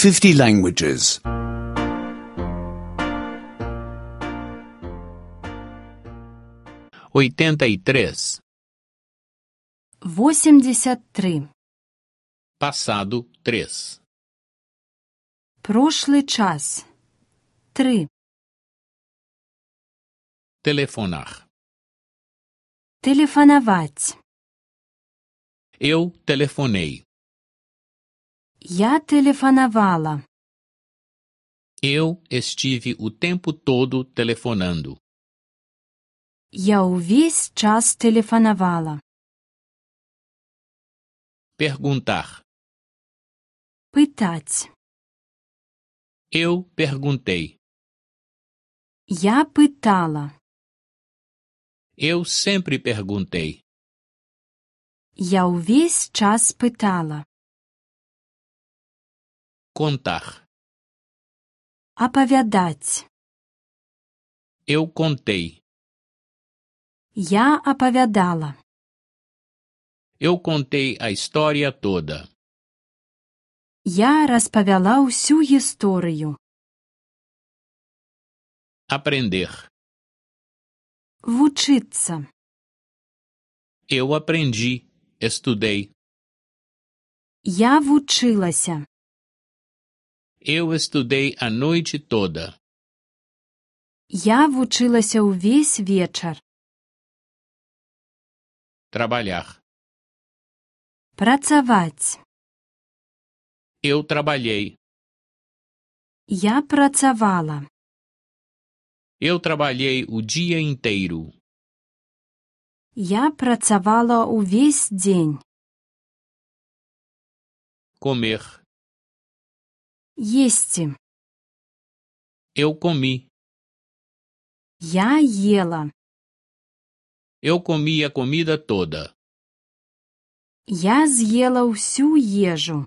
50 languages. 83. 83. Passado 3. Прошлый час. 3. Telefonar. Тэлефанаваць. Eu telefonei. Я тэлефанавала. Eu estive o tempo todo telefonando. Я ўвесь час тэлефанавала. Perguntar. Пытаць. Eu perguntei. Я пытала. Eu sempre perguntei. Я ўвесь час пытала. Contar. Апавядаць. Eu contei. Я апавядала. Eu contei a história toda. Я распавяла ўсю гісторыю. Aprender. Вучыцца. Eu aprendi, estudei. Я вучылася. Eu estudei a noite toda. Я вучылася ўвесь вечар. Trabalhar. Працаваць. Eu trabalhei. Я працавала. Eu trabalhei o dia inteiro. Я працавала ўвесь дзень. Comer. Есці. Eu comi. Я ела. Eu comi a comida toda. Я з'ела ўсю ежу.